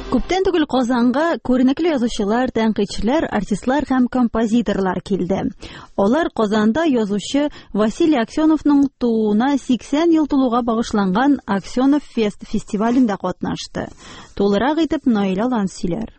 Күптән түгел Казанга күренекле язучылар, тәнкыйтьчеләр, артистлар һәм композиторлар килде. Алар Казанда язучы Василий Аксеновның тууына 80 ел тулуга багышланган Аксенов фест фестивалендә катнашты. Тулырак итеп Наилә Лан сөйләр.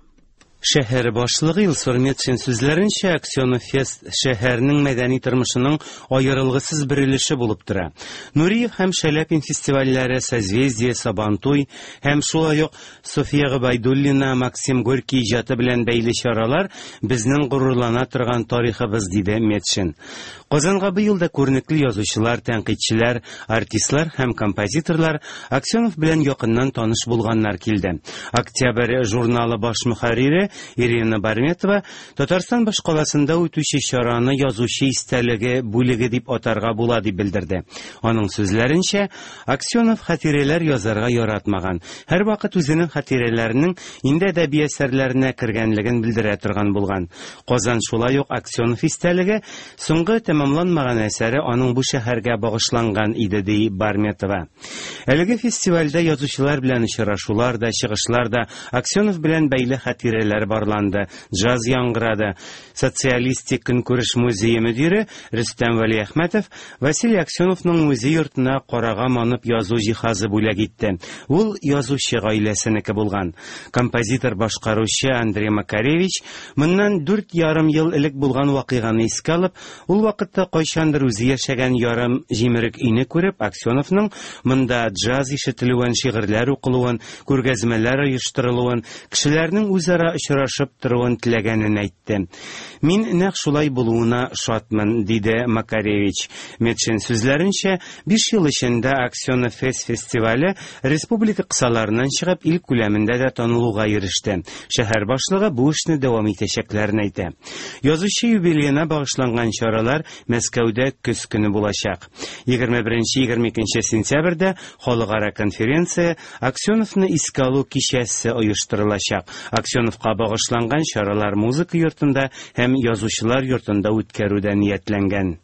Шәһәр башлыгы Илсур Метшин сүзләренчә, Аксенов фест шәһәрнең мәдәни тормышының аерылгысыз бер өлеше булып тора. Нуриев һәм Шаляпин фестивальләре, Созвездие, Сабантуй һәм шулай ук София Гобәйдуллина, Максим Горький иҗаты белән бәйле чаралар безнең горурлана торган тарихыбыз, диде Метшин. Казанга быел да күренекле язучылар, тәнкыйтьчеләр, артистлар һәм композиторлар Аксенов белән якыннан таныш булганнар килде. Октябрь журналы баш мөхәррире Ирина Барметова Татарстан башкаласында үтүче чараны язучы истәлеге бүлеге дип атарга була дип белдерде. Аның сүзләренчә, Аксенов хатирәләр язарга яратмаган. Һәрвакыт үзенең хатирәләренең инде әдәби әсәрләренә кергәнлеген белдерә торган булган. Казан шулай ук Аксенов истәлеге, соңгы тәмамланмаган әсәре аның бу шәһәргә багышланган иде, ди Барметова. Әлеге фестивальдә язучылар белән очрашулар да, чыгышлар да, Аксенов белән бәйле хатирәләр барланды, джаз яңгырады. Социалистик көнкүреш музее мөдире Рөстәм Вәлиәхмәтов Василий Аксеновның музей йортына карага манып язу җиһазы бүләк итте. Ул язучы гаиләсенеке булган. Композитор-башкаручы Андрей Макаревич моннан 4,5 ел элек булган вакыйганы искә алып, ул вакытта кайчандыр үзе яшәгән ярым җимерек өйне күреп, Аксеновның монда джаз ишетелүен, шигырьләр укылуын, күргәзмәләр оештырылуын, кешеләрнең үзара очрашып торуын теләгәнен әйтте. Мин нәкъ шулай булуына шатмын, диде Макаревич. Метшин сүзләренчә, биш ел эчендә Аксенов Фест фестивале республика кысаларыннан чыгып, ил күләмендә дә танылуга иреште. Шәһәр башлыгы бу эшне дәвам итәчәкләрен әйтә. Язучы юбилеена багышланган чаралар Мәскәүдә көз көне булачак. 21-22 сентябрьдә халыкара конференция Аксеновны искә алу кичәсе оештырылачак. Аксеновка багышланган чаралар музыка йортында һәм язучылар йортында үткәрү дә ниятләнгән.